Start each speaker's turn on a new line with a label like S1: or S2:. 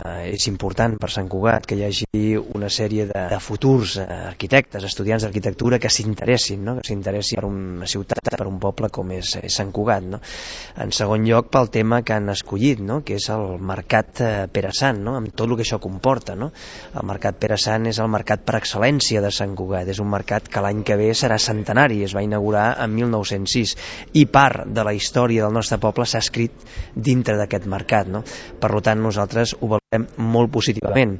S1: És important per Sant Cugat que hi hagi una sèrie de futurs arquitectes, estudiants d'arquitectura que s'interessin, no? Que s'interessin per una ciutat, per un poble com és Sant Cugat, no? En segon lloc, pel tema que han escollit, no? Que és el mercat Pere Sant, no? Amb tot el que això comporta, no? El mercat Pere Sant és el mercat per excel·lència de Sant Cugat, és un mercat que l'any que ve serà centenari, es va inaugurar en 1906 i part de la història del nostre poble s'ha escrit dintre d'aquest mercat, no? Per tant, nosaltres ho valorem molt positivament.